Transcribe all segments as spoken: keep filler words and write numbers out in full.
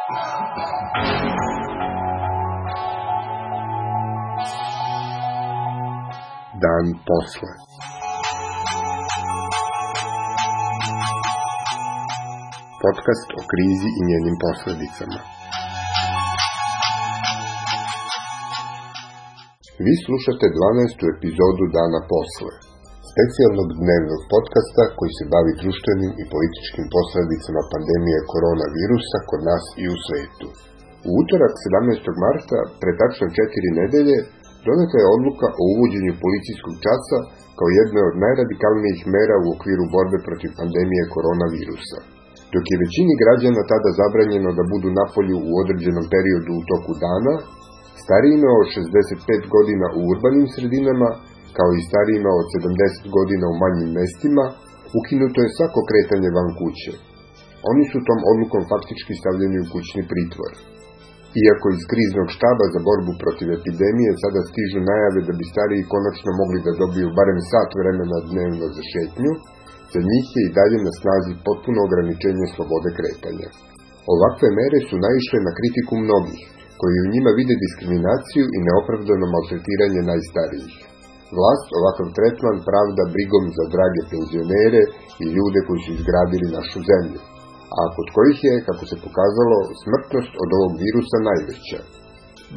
Dan posle. Podcast o krizi i njenim posledicama. Vi slušate dvanaestu epizodu Dana posle, specijalnog dnevnog podcasta koji se bavi društvenim i političkim posledicama pandemije koronavirusa kod nas i u svetu. U utorak sedamnaestog marta, pre tačno četiri nedelje, doneta je odluka o uvođenju policijskog časa kao jedne od najradikalnijih mera u okviru borbe protiv pandemije koronavirusa. Dok je većini građana tada zabranjeno da budu napolju u određenom periodu u toku dana, starijima od šezdeset pet godina u urbanim sredinama, kao i starijima od sedamdeset godina u manjim mestima, ukinuto je svako kretanje van kuće. Oni su tom odlukom faktički stavljeni u kućni pritvor. Iako iz kriznog štaba za borbu protiv epidemije sada stižu najave da bi stariji konačno mogli da dobiju barem sat vremena dnevno za šetnju, za njih je i dalje na snazi potpuno ograničenje slobode kretanja. Ovakve mere su naišle na kritiku mnogih, koji u njima vide diskriminaciju i neopravdano maltretiranje najstarijih. Vlast ovakav tretman pravda brigom za drage penzionere i ljude koji su izgradili našu zemlju, a kod kojih je, kako se pokazalo, smrtnost od ovog virusa najveća.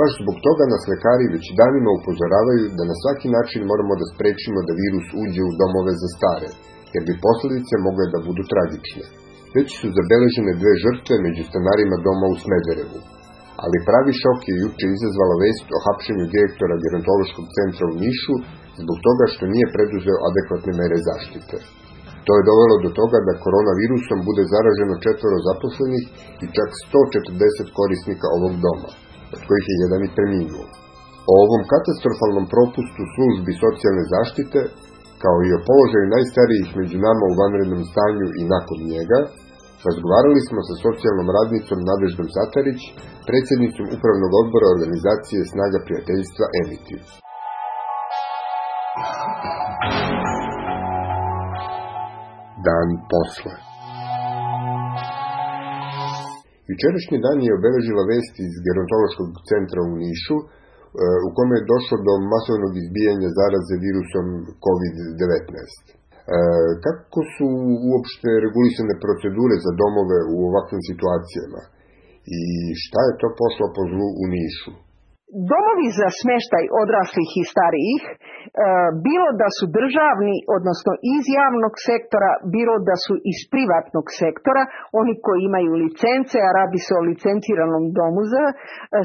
Baš zbog toga nas lekari već danima upozoravaju da na svaki način moramo da sprečimo da virus uđe u domove za stare, jer bi posljedice mogle da budu tragične. Već su zabeležene dve žrtve među stanarima doma u Smederevu, ali pravi šok je juče izazvala vest o hapšenju direktora gerontološkog centra u Nišu zbog toga što nije preduzeo adekvatne mere zaštite. To je dovelo do toga da koronavirusom bude zaraženo četvoro zaposlenih i čak sto četrdeset korisnika ovog doma, od kojih je jedan i preminuo. O ovom katastrofalnom propustu službi socijalne zaštite, kao i o položaju najstarijih među nama u vanrednom stanju i nakon njega, razgovarali smo sa socijalnom radnicom Nadeždom Satarić, predsjednicom upravnog odbora organizacije Snaga prijateljstva Emitiv. Dan posle. Jučerašnji dan je obeležila vest iz gerontološkog centra u Nišu, u kome je došlo do masovnog izbijanja zaraze virusom kovid devetnaest. Kako su uopšte regulisane procedure za domove u ovakvim situacijama i šta je to pošlo po zlu u Nišu? Domovi za smještaj odraslih i starijih, bilo da su državni, odnosno iz javnog sektora, bilo da su iz privatnog sektora, oni koji imaju licence, a radi se o licenciranom domu za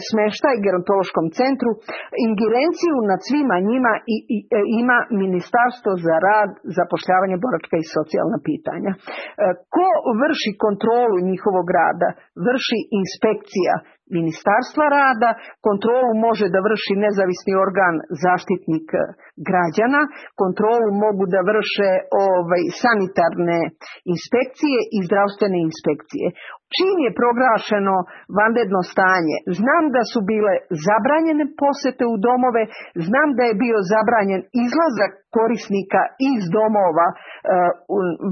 smještaj, gerontološkom centru, ingerenciju nad svima njima i, i, ima Ministarstvo za rad, zapošljavanje, boračka i socijalna pitanja. Ko vrši kontrolu njihovog rada? Vrši inspekcija Ministarstva rada, kontrolu može da vrši nezavisni organ zaštitnik građana, kontrolu mogu da vrše ovaj, sanitarne inspekcije i zdravstvene inspekcije. Čim je proglašeno vanredno stanje, znam da su bile zabranjene posete u domove, znam da je bio zabranjen izlazak korisnika iz domova uh,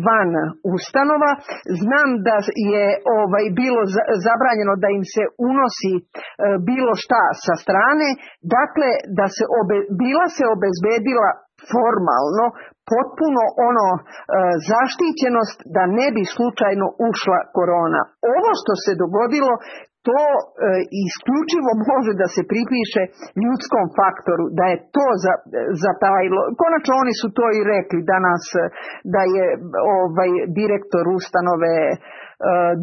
van ustanova, znam da je ovaj, bilo zabranjeno da im se unosi uh, bilo šta sa strane, dakle da se obe, bila se obezbedila formalno potpuno ono e, zaštićenost da ne bi slučajno ušla korona. Ovo što se dogodilo, to e, isključivo može da se pripiše ljudskom faktoru, da je to za, zatajilo. Konačno oni su to i rekli danas, da je ovaj direktor ustanove e,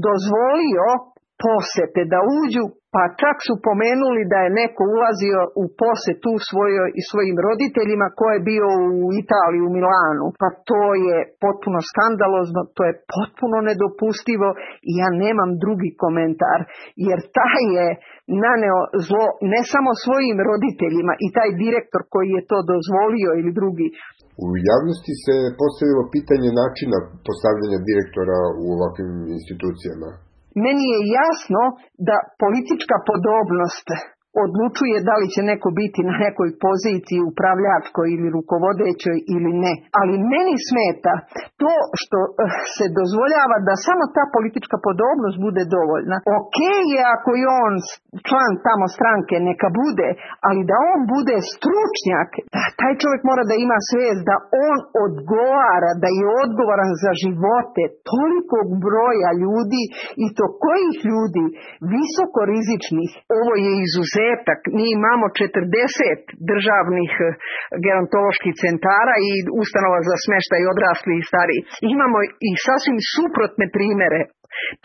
dozvolio posete da uđu, pa čak su pomenuli da je neko ulazio u posetu svojoj i svojim roditeljima ko je bio u Italiji, u Milanu. Pa to je potpuno skandalozno, to je potpuno nedopustivo i ja nemam drugi komentar, jer taj je naneo zlo ne samo svojim roditeljima i taj direktor koji je to dozvolio ili drugi. U javnosti se postavilo pitanje načina postavljanja direktora u ovakvim institucijama. Meni je jasno da politička podobnost odlučuje da li će neko biti na nekoj poziciji upravljačkoj ili rukovodećoj ili ne. Ali meni smeta to što se dozvoljava da samo ta politička podobnost bude dovoljna. Ok je ako je on član tamo stranke, neka bude, ali da on bude stručnjak, da taj čovjek mora da ima svijest da on odgovara, da je odgovoran za živote tolikog broja ljudi i to kojih ljudi, visoko rizičnih. Ovo je izuzetak. Mi imamo četrdeset državnih gerontoloških centara i ustanova za smještaj odraslih i starih. Imamo i sasvim suprotne primjere.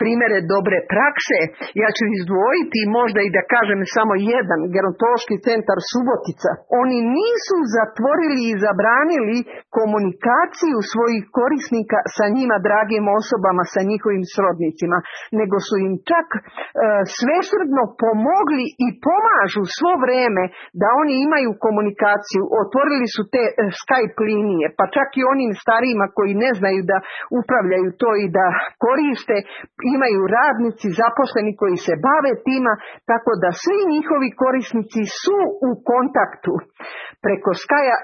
Primjere dobre prakse, ja ću izdvojiti možda i da kažem samo jedan, gerontološki centar Subotica. Oni nisu zatvorili i zabranili komunikaciju svojih korisnika sa njima dragim osobama, sa njihovim srodnicima, nego su im čak e, svesrdno pomogli i pomažu svo vrijeme da oni imaju komunikaciju. Otvorili su te e, Skype linije, pa čak i onim starijima koji ne znaju da upravljaju to i da koriste, imaju radnici zaposleni koji se bave tima, tako da svi njihovi korisnici su u kontaktu preko Skype,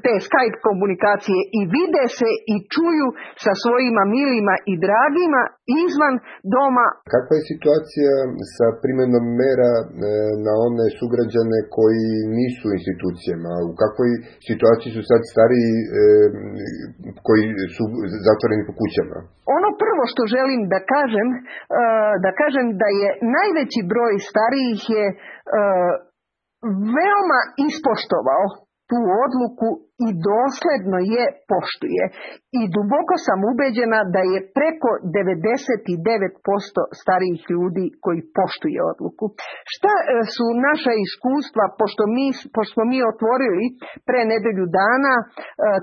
te Skype komunikacije i vide se i čuju sa svojima milima i dragima izvan doma. Kakva je situacija sa primjenom mera na one sugrađane koji nisu u institucijama? U kakvoj situaciji su sad stariji koji su zatvoreni po kućama? Ono prvo što želim da kažem, da kažem da je najveći broj starijih je veoma ispoštovao tu odluku i dosledno je poštuje. I duboko sam ubeđena da je preko devedeset devet posto starijih ljudi koji poštuje odluku. Šta su naša iskustva, pošto mi, pošto smo mi otvorili pre nedelju dana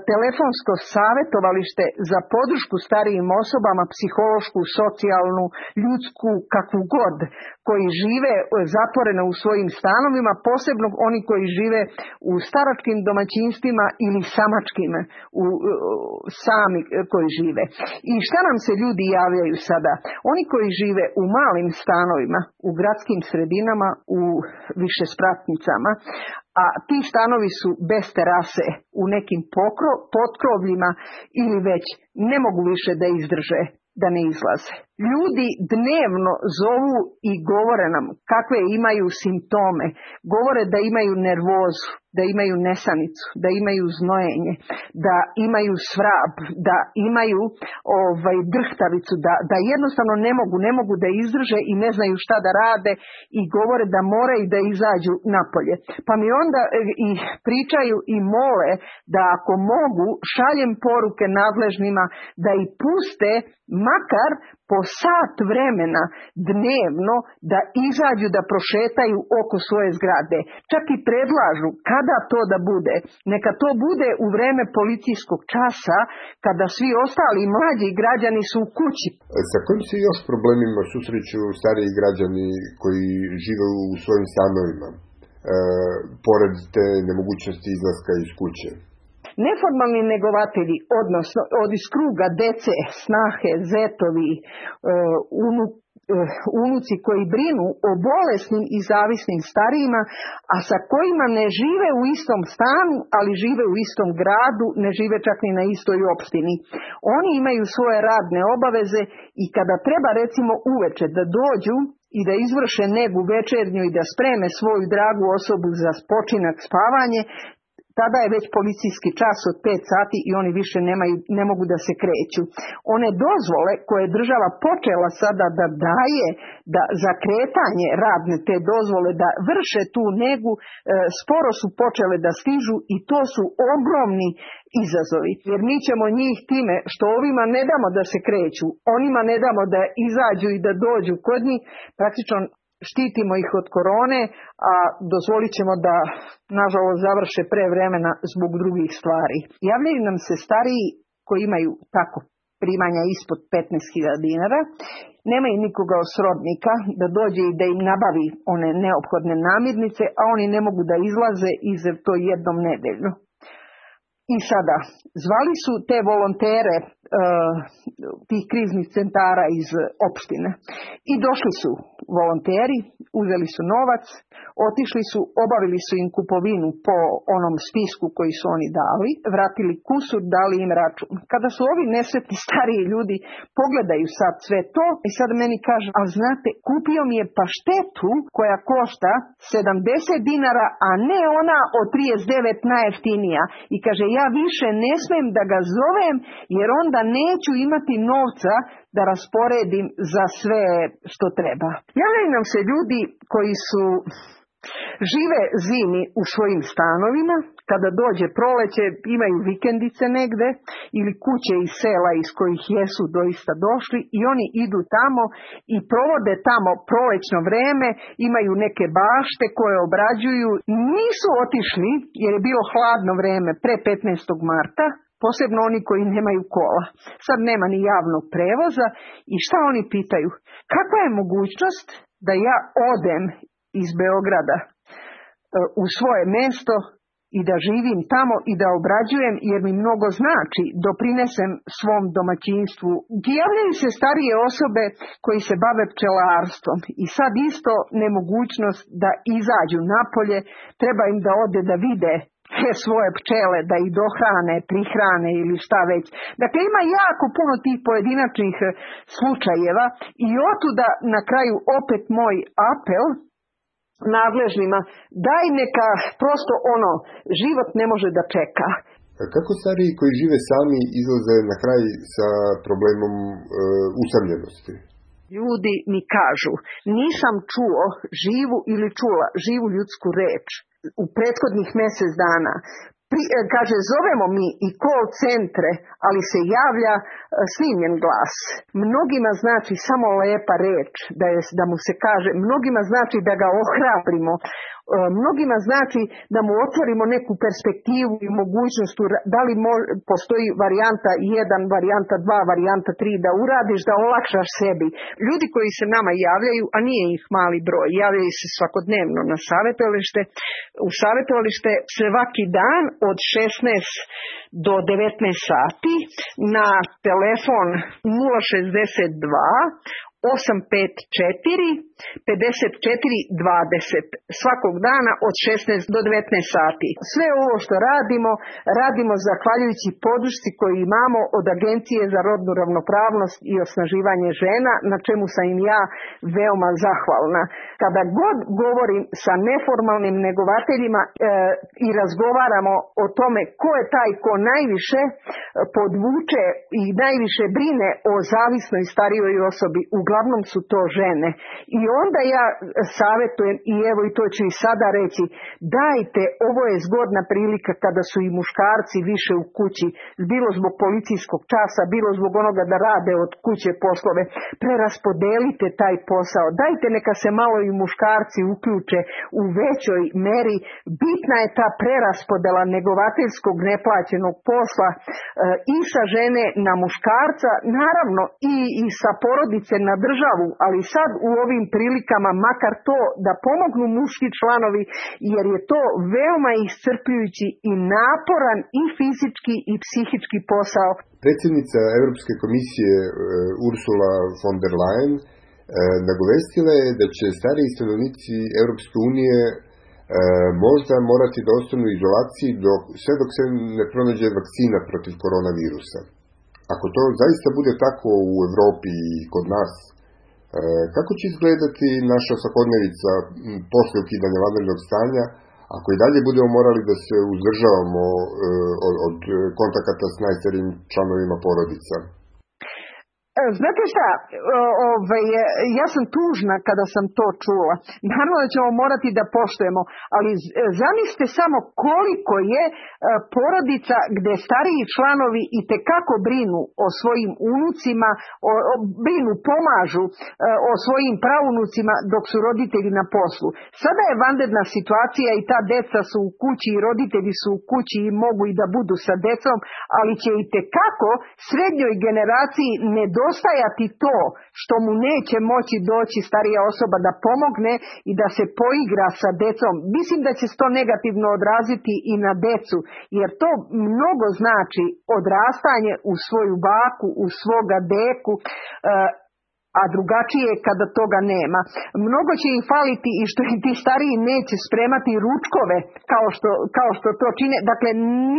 telefonsko savjetovalište za podršku starijim osobama, psihološku, socijalnu, ljudsku, kakvu god, koji žive zatvoreno u svojim stanovima, posebno oni koji žive u staračkim domaćinstvima ili samačkim u, sami koji žive. I šta nam se ljudi javljaju sada? Oni koji žive u malim stanovima, u gradskim sredinama, u višespratnicama, a ti stanovi su bez terase u nekim pokro, potkrovljima ili već ne mogu više da izdrže, da ne izlaze. Ljudi dnevno zovu i govore nam kakve imaju simptome. Govore da imaju nervozu, da imaju nesanicu, da imaju znojenje, da imaju svrab, da imaju ovaj, drhtavicu, da, da jednostavno ne mogu, ne mogu da izdrže i ne znaju šta da rade i govore da moraju da izađu napolje. Pa mi onda i pričaju i mole da ako mogu šaljem poruke nadležnima da ih puste makar po sat vremena dnevno da izađu da prošetaju oko svoje zgrade. Čak i predlažu kada to da bude. Neka to bude u vreme policijskog časa kada svi ostali mlađi građani su u kući. Sa kojim se još problemima susreću stariji građani koji žive u svojim stanovima, e, pored te nemogućnosti izlaska iz kuće? Neformalni negovatelji, odnosno od iz kruga dece, snahe, zetovi, unuk, unuci koji brinu o bolesnim i zavisnim starijima, a sa kojima ne žive u istom stanu, ali žive u istom gradu, ne žive čak ni na istoj opštini. Oni imaju svoje radne obaveze i kada treba recimo uveče da dođu i da izvrše negu večernju i da spreme svoju dragu osobu za spočinak, spavanje, tada je već policijski čas od pet sati i oni više nemaju, ne mogu da se kreću. One dozvole koje država počela sada da daje da za kretanje radne te dozvole da vrše tu negu, e, sporo su počele da stižu i to su ogromni izazovi. Jer mi ćemo njih time što ovima ne damo da se kreću, onima ne damo da izađu i da dođu kod njih, praktično štitimo ih od korone, a dozvolit ćemo da, nažalost, završe pre vremena zbog drugih stvari. Javljaju nam se stariji koji imaju tako primanja ispod petnaest hiljada dinara, nemaju nikoga od srodnika da dođe i da im nabavi one neophodne namirnice, a oni ne mogu da izlaze iza to jednom nedeljno. I sada, zvali su te volontere, tih kriznih centara iz opštine. I došli su volonteri, uzeli su novac, otišli su, obavili su im kupovinu po onom spisku koji su oni dali, vratili kusur, dali im račun. Kada su ovi nesretni stariji ljudi pogledaju sad sve to i sad meni kažu, ali znate, kupio mi je paštetu koja košta sedamdeset dinara, a ne ona od trideset devet najjeftinija. I kaže, ja više ne smem da ga zovem jer onda neću imati novca da rasporedim za sve što treba. Javljaju nam se ljudi koji su žive zimi u svojim stanovima, kada dođe proleće imaju vikendice negde ili kuće iz sela iz kojih jesu doista došli i oni idu tamo i provode tamo prolećno vreme, imaju neke bašte koje obrađuju. Nisu otišli jer je bilo hladno vreme pre petnaestog marta, posebno oni koji nemaju kola. Sad nema ni javnog prevoza i šta oni pitaju? Kakva je mogućnost da ja odem iz Beograda u svoje mesto i da živim tamo i da obrađujem jer mi mnogo znači, doprinesem svom domaćinstvu. Javljaju se starije osobe koji se bave pčelarstvom i sad isto nemogućnost da izađu napolje, treba im da ode da vide te svoje pčele, da ih dohrane, prihrane ili šta već. Dakle, ima jako puno tih pojedinačnih slučajeva i otuda na kraju opet moj apel nadležnima, daj neka prosto ono, život ne može da čeka. A kako stariji koji žive sami izlaze na kraj sa problemom e, usamljenosti? Ljudi mi kažu, nisam čuo živu ili čula živu ljudsku reč u prethodnih mjesec dana. Pri, kaže, zovemo mi i call centre, ali se javlja snimljen glas. Mnogima znači samo lepa reč, da, je, da mu se kaže, mnogima znači da ga ohrabrimo, mnogima znači da mu otvorimo neku perspektivu i mogućnost, da li mo, postoji varijanta jedan, varijanta dva, varijanta tri, da uradiš, da olakšaš sebi. Ljudi koji se nama javljaju, a nije ih mali broj, javljaju se svakodnevno na savjetovalište, u savjetovalište svaki dan od šesnaest do devetnaest sati na telefon nula šezdeset dva osam pet četiri pedeset četiri dvadeset svakog dana od šesnaest do devetnaest sati. Sve ovo što radimo, radimo zahvaljujući podršci koju imamo od Agencije za rodnu ravnopravnost i osnaživanje žena, na čemu sam im ja veoma zahvalna. Kada god govorim sa neformalnim negovateljima e, i razgovaramo o tome ko je taj ko najviše podvuče i najviše brine o zavisnoj starijoj osobi, uglavnom su to žene. I onda ja savjetujem, i evo i to ću i sada reći, dajte, ovo je zgodna prilika kada su i muškarci više u kući, bilo zbog policijskog časa, bilo zbog onoga da rade od kuće poslove, preraspodelite taj posao, dajte neka se malo i muškarci uključe u većoj meri. Bitna je ta preraspodela negovateljskog neplaćenog posla e, i sa žene na muškarca, naravno i, i sa porodice na državu, ali sad u ovim prilikama makar to da pomognu muški članovi, jer je to veoma iscrpljujući i naporan i fizički i psihički posao. Predsjednica Europske komisije Ursula von der Leyen nagovestila je da će stariji stanovnici Europske unije možda morati da ostanu u izolaciji dok, sve dok se ne pronađe vakcina protiv koronavirusa. Ako to zaista bude tako u Europi i kod nas, kako će izgledati naša svakodnevica posle ukidanja vanrednog stanja, ako i dalje budemo morali da se uzdržavamo od, od kontakata s najstarijim članovima porodica? Znate šta, ove, ja sam tužna kada sam to čula. Naravno da ćemo morati da poštujemo, ali zamislite samo koliko je porodica gde stariji članovi i tekako brinu o svojim unucima, o, o, brinu, pomažu o svojim praunucima dok su roditelji na poslu. Sada je vanredna situacija i ta deca su u kući i roditelji su u kući i mogu i da budu sa decom, ali će i tekako srednjoj generaciji nedostati postajati to što mu neće moći doći starija osoba da pomogne i da se poigra sa decom. Mislim da će se to negativno odraziti i na decu, jer to mnogo znači odrastanje u svoju baku, u svoga deku, a drugačije je kada toga nema. Mnogo će im faliti i što ti stariji neće spremati ručkove kao što, kao što to čine. Dakle,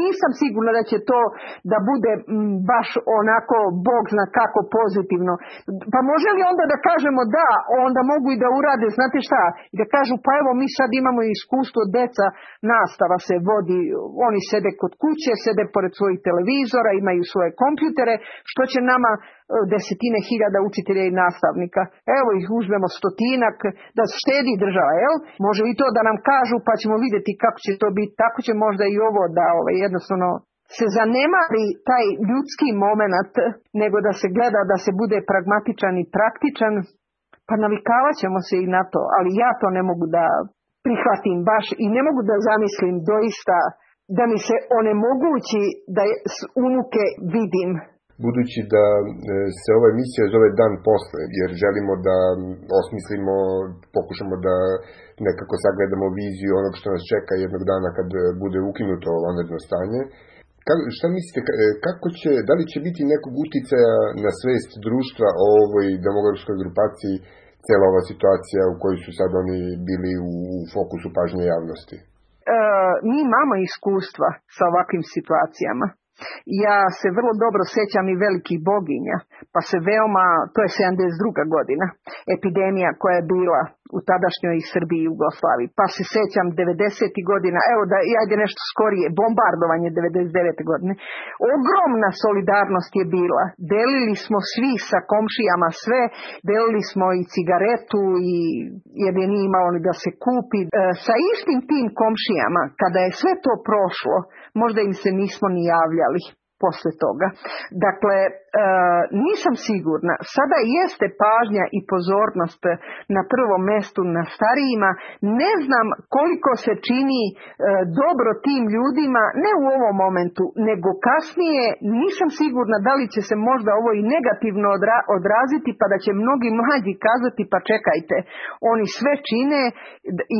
nisam sigurna da će to da bude baš onako, Bog zna kako pozitivno. Pa može li onda da kažemo da, onda mogu i da urade, znate šta, i da kažu pa evo mi sad imamo iskustvo, deca, nastava se vodi, oni sede kod kuće, sede pored svojih televizora, imaju svoje kompjutere, što će nama desetine hiljada učitelja i nastavnika. Evo ih uzmemo stotinak, da štedi država, jel? Može i to da nam kažu, pa ćemo vidjeti kako će to biti. Tako će možda i ovo da ovaj, jednostavno se zanemari taj ljudski moment, nego da se gleda da se bude pragmatičan i praktičan, pa navikavat ćemo se i na to. Ali ja to ne mogu da prihvatim baš i ne mogu da zamislim doista da mi se onemogući da unuke vidim. Budući da se ova emisija zove Dan posle, jer želimo da osmislimo, pokušamo da nekako sagledamo viziju onog što nas čeka jednog dana kad bude ukinuto vanredno stanje, šta mislite, kako će, da li će biti nekog uticaja na svest društva o ovoj demografskoj grupaciji cijela ova situacija u kojoj su sad oni bili u fokusu pažnje javnosti? E, mi imamo iskustva sa ovakvim situacijama. Ja se vrlo dobro sjećam i velikih boginja, pa se veoma, to je sedamdeset druga godina, epidemija koja je bila u tadašnjoj Srbiji i Jugoslaviji, pa se sjećam devedesetih godina, evo da ajde nešto skorije, bombardovanje devedeset devete godine. Ogromna solidarnost je bila, delili smo svi sa komšijama sve, delili smo i cigaretu i jer je nije imalo ni da se kupi. E, sa istim tim komšijama, kada je sve to prošlo, možda im se nismo ni javljali posle toga. Dakle, e, nisam sigurna. Sada jeste pažnja i pozornost na prvom mestu na starijima. Ne znam koliko se čini e, dobro tim ljudima, ne u ovom momentu, nego kasnije. Nisam sigurna da li će se možda ovo i negativno odra, odraziti, pa da će mnogi mlađi kazati pa čekajte, oni sve čine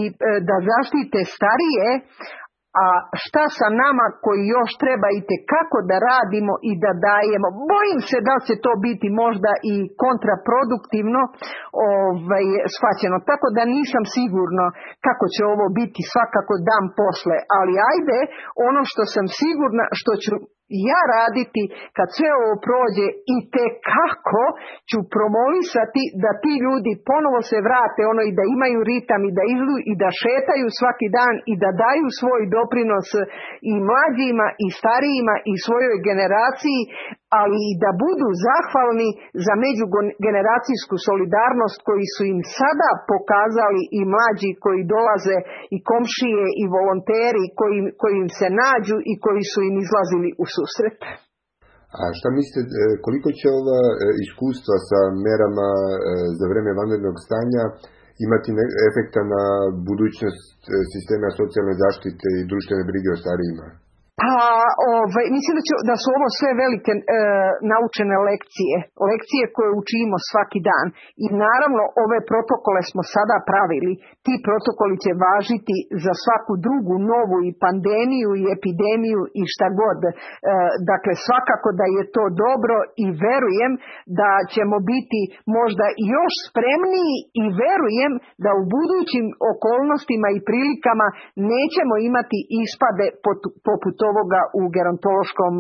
i e, da zaštite starije, a šta sa nama koji još treba i tekako da radimo i da dajemo. Bojim se da će to biti možda i kontraproduktivno ovaj, shvaćeno. Tako da nisam sigurno kako će ovo biti svakako dan posle. Ali ajde, ono što sam sigurna, što ću ja raditi kad sve ovo prođe i tekako ću promovisati da ti ljudi ponovo se vrate ono i da imaju ritam i da izlu i da šetaju svaki dan i da daju svoj doprinos i mlađima i starijima i svojoj generaciji, ali i da budu zahvalni za međugeneracijsku solidarnost koji su im sada pokazali i mlađi koji dolaze i komšije i volonteri koji, koji im se nađu i koji su im izlazili u susret. A šta mislite, koliko će ova iskustva sa merama za vreme vanrednog stanja imati efekta na budućnost sistema socijalne zaštite i društvene brige o starijima? Pa, ovaj, mislim da, će, da su ovo sve velike e, naučene lekcije, lekcije koje učimo svaki dan. I naravno ove protokole smo sada pravili. Ti protokoli će važiti za svaku drugu novu i pandemiju i epidemiju i šta god. E, dakle, svakako da je to dobro i verujem da ćemo biti možda još spremniji i verujem da u budućim okolnostima i prilikama nećemo imati ispade poput ovoga u gerontološkom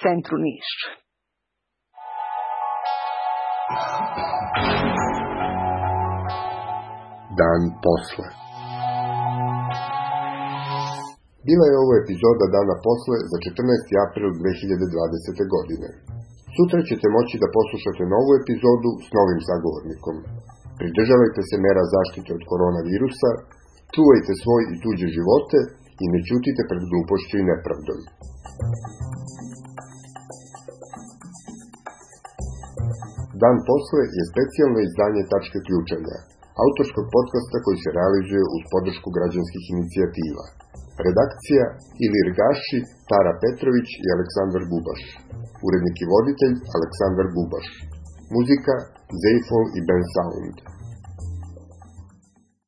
centru Niš. Dan posle. Bila je ovo epizoda Dana posle za četrnaesti april dve hiljade dvadesete. godine. Sutra ćete moći da poslušate novu epizodu s novim sagovornikom. Pridržavajte se mera zaštite od koronavirusa, čuvajte svoj i tuđe živote i ne ćutite pred glupošću i nepravdom. Dan posle je specijalno izdanje Tačke ključanja, autorskog podcasta koji se realizuje uz podršku građanskih inicijativa. Redakcija Ilir Gaši, Tara Petrović i Aleksandar Bubaš. Urednik i voditelj Aleksandar Bubaš. Muzika Zayful i Ben Sound.